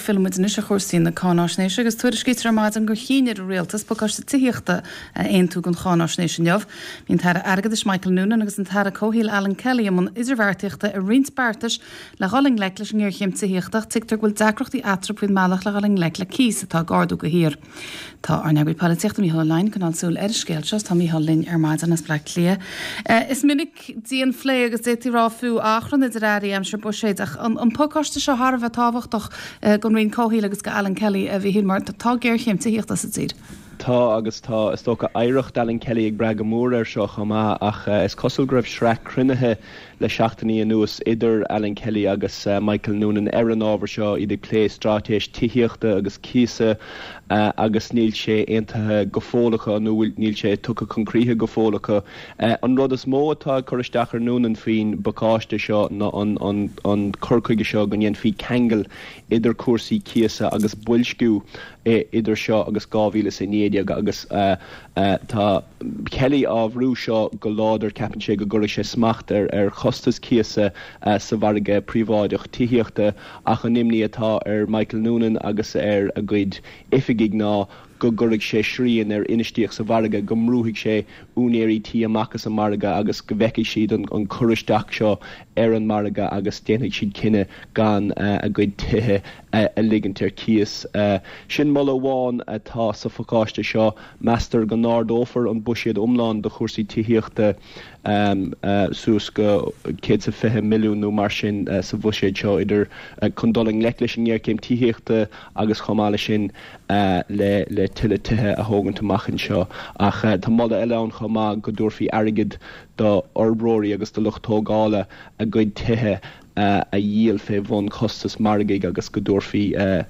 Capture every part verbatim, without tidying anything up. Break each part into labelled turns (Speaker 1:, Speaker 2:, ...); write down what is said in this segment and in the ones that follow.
Speaker 1: Filleann muid anois ar chúrsaí na cáináisnéise agus tuairiscítear ar maidin gur chinn ar an rialtas pacáiste tithíochta a aontú don cháináisnéis inniu. Bhí an tAire Airgeadais Michael Noonan agus an tAire Comhshaoil Alan Kelly i mbun idirbheartaíochta ar roinnt beartais le dhul i ngleic leis an ngéarchéim tithíochta tuigtear go bhfuil deacrachtaí eatarthu faoin mbealach le dhul i ngleic le cíos atá ag ardú de shíor. Tá ár n-eagraí polaitíochta Mícheál Ó Leidhin ag coinneáil súil ar an scéal seo tá Mícheál linn ar maidin as Bleá Cliath. Eh, is minic dianphlé agus d'fhéadfaí rá fiú achrann idir airí aimsir buiséid ach an, an pacáiste seo thar a bheith tábhachtach eh, don Roinn Comhshaoil agus go Alan Kelly a bhí mar tá géarchéim tithíochta sa tír.
Speaker 2: Tá agus tá is dócha oidhreacht Alan Kelly ag brath go mór air seo chomh maith ach uh, is cosúil go raibh sraith cruinnithe le seachtainí anuas idir Alan Kelly agus uh, Michael Noonan ar an ábhar seo iad ag plé straitéis tithíochta agus cíosa uh, agus níl sé aontaithe go fóill acu nó níl sé tugtha chun críche go fóill acu. Uh, an rud is mó atá cur isteach ar Noonan faoin bpacáiste seo ná an, an, an cur chuige seo go ndéanfaí ceangal idir cúrsaí cíosa agus boilsciú idir seo agus dhá mhíle is a naoi déag agus uh, uh, tá Kelly á bhrú seo go láidir ceapann sé go gcuirfidh sé smacht ar ar chostas cíosa uh, sa mhargadh príobháideach tithíochta ach an imní atá ar Michael Noonan agus ar a gcuid oifigigh ná go gcuirfidh sé srian ar infheistíocht sa mhargadh go mbrúfaidh sé úinéirí tí amach as an margadh agus go bhfeicfidh siad an, an cur isteach seo ar an margadh agus déanfaidh siad cinneadh gan uh, a gcuid tithe uh, a ligint ar cíos. Uh, sin moladh amháin atá sa phacáiste seo meastar go n-ardófar an buiséad iomlán do chúrsaí tithíochta um, uh, suas go céad is fiche milliún nó mar sin uh, sa bhuiséad seo idir uh, chun dul i ngleic leis an ngéarchéim tithíochta agus chomh maith leis sin uh, le le tuilleadh tithe a thógaint amach anseo ach uh, tá moladh eile ann chomh maith go dtabharfaí airgead do fhorbróirí agus do lucht tógála a gcuid tithe uh, a dhíol fé bhun costas margaidh agus go dtabharfaí uh,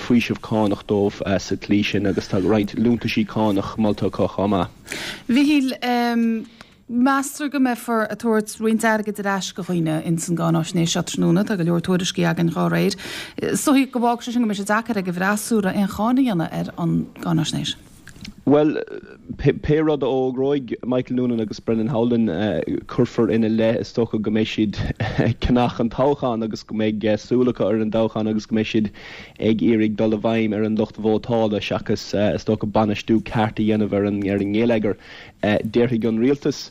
Speaker 2: faoiseamh cánach dóibh uh, sa tslí sin agus tá roinnt liúntaisí cánach molta acu chomh maith.
Speaker 1: Mhíchíl um, Meastar go mbeifear ag tabhairt roinnt airgid ar ais do dhaoine ins an gcáináisnéis seo tráthnóna tá go leor tuairiscí againn dá réir. So go bhfágfaidh sé sin go mbeidh sé deacair ag an bhfreasúra aon cháin a dhéanamh ar an gcáináisnéis.
Speaker 2: Well pé rud a fhógróidh Michael Noonan agus Brendan Howlin uh, cuirfear ina leith is dócha go mbeidh siad ceannach an toghchán agus go mbeidh uh, súil acu ar an toghchán agus go mbeidh siad ag iarraidh dul i bhfeidhm ar an lucht vótála seachas uh, is dócha bainistiú ceart a dhéanamh ar an ar an ngeilleagar uh, déarfaidh an rialtas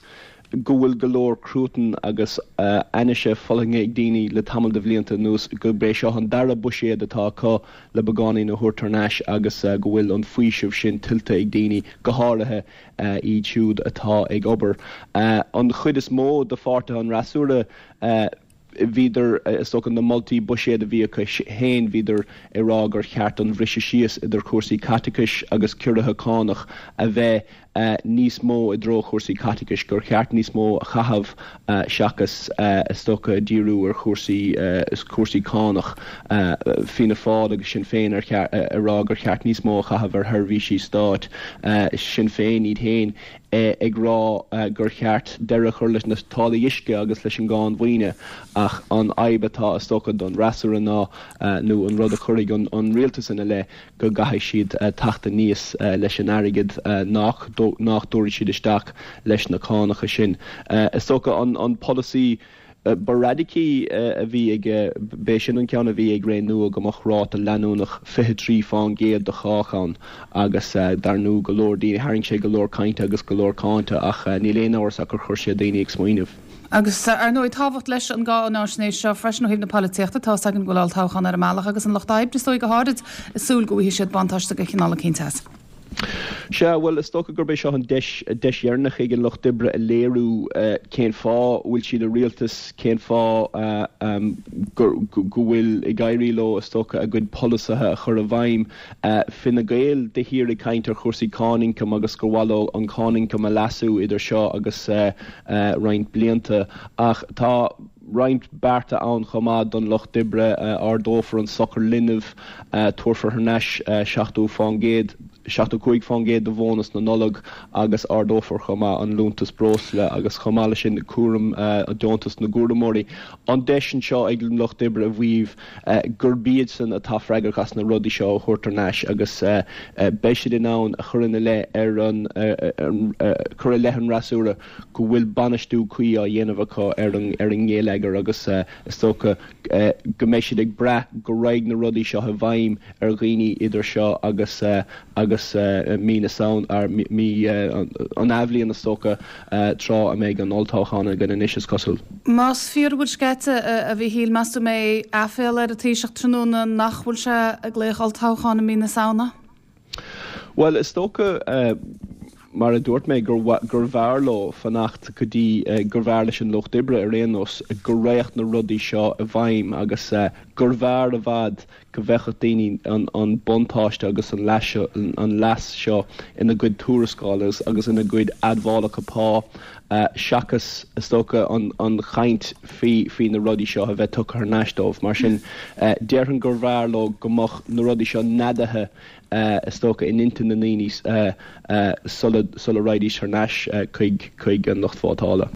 Speaker 2: go bhfuil go leor cruatan agus uh, ainnise fulaingthe ag daoine le tamall de bhlianta anuas gurb é seo an dara buiséad atá acu le beagáinín a thabhairt thar n-ais agus uh, go bhfuil an faoiseamh sin tuillte ag daoine go háirithe uh, iad siúd atá ag obair. Uh, an chuid is mó de pháirtithe an fhreasúra uh, bhíodar is dócha na moltaí buiséid a bhí acu féin bhíodar ag rá gur cheart an briseadh síos idir cúrsaí caiteachais agus ciorruithe cánach a bheith uh, níos mó i dtreo chúrsaí caiteachais gur cheart níos mó a chaitheamh uh, seachas uh, is dócha díriú ar chúrsaí uh, is cúrsaí cánach uh, Fianna Fáil agus Sinn Féin ar ag rá gur cheart níos mó a chaitheamh ar sheirbhísí stáit uh, Sinn Féin iad féin ag rá uh, gur cheart deireadh a chur leis na táillí uisce agus leis an gcáin mhaoine ach an fhadhb atá is dócha don fhreasúra ná uh, nó an rud a chuirfidh an, an rialtas ina leith go gcaithfidh siad uh, teacht aníos uh, leis an airgead uh, nach nach dtabharfaidh siad isteach leis na cánacha sin. Uh, is dócha an, an polasaí uh, ba radacaí uh, a bhí ag b'é sin an ceann a bhí ag Ré Nua go mbeadh ráta leanúnach fiche trí faoin gcéad do chách ann agus uh, dar ndóigh go leor daoine tharraing sé go leor cainte agus go leor cáinte ach uh, níl aon amhras ach gur chuir sé daoine ag smaoineamh.
Speaker 1: Agus ar ndóigh tábhacht leis an gcáináisnéis seo freisin ó thaobh na polaitíochta tá an bhfuil toghchán ar an mbealach agus an lucht oibre is dóigh go háirithe ag súil go bhfaighidh siad buntáiste de chineál éicint as.
Speaker 2: Sea well is dócha gurb é seo an deis deis dheireanach ag an lucht oibre a léiriú uh, cén fáth bhfuil siad i rialtas cén fáth uh, um, go bhfuil ag éirí leo is dócha a gcuid polasaithe a chur i bhfeidhm uh, Fine Gael de shíor ag caint ar chúrsaí cáin ioncaim agus gur mhaith leo an cáin ioncaim a leasú idir seo agus uh, uh, roinnt blianta ach tá roinnt bearta ann chomh maith don lucht oibre uh, ardófar an sochar linbh uh, tabharfar thar n-ais uh, seachtó faoin gcéad seachtó cúig faoin gcéad de bhónas na Nollag agus ardófar chomh maith an liúntas breosla agus chomh maith leis sin cúram deontas na gcúramóirí. An deis anseo ag an Lucht Oibre a mhaíomh gurb iadsan atá freagrach as na rudaí seo a thabhairt thar n-ais agus beidh siad in ann a chur ina leith ar an cur i leith an fhreasúra go bhfuil bainistiú cuí á dhéanamh acu ar an ar an ngeilleagar agus is dócha go mbeidh siad ag brath go raghaidh na rudaí seo i bhfeidhm ar dhaoine idir seo agus agus mí na Samhna mí an athbhliain is dócha tráth a mbeidh an olltoghchán againn anois is cosúil.
Speaker 1: Más fíor a bhfuil sceite a Mhíchíl, meas tú an mbeidh aiféala ar an Taoiseach tráthnóna nach bhfuil sé ag glaoch olltoghchán i mí na Samhna?
Speaker 2: Bhuel is dócha mar a dúirt mé gur bhfearr leo fanacht go dtí gur bhfearr leis an Lucht Oibre ar aon nós go raghadh na rudaí seo i bhfeidhm agus gur bhfearr i bhfad go bhfeicfeadh daoine an buntáiste agus an an leas seo ina gcuid tuarascáil agus ina gcuid admhálacha pá seachas is dócha an an chaint faoi faoi na rudaí seo a bheith tugtha thar n-ais dóibh. Mar sin déarfainn gur bhfearr leo go mbeadh na rudaí seo neadaithe is dócha in intinn na ndaoine sula sula raghaidís thar n-ais chuig chuig an lucht vótála.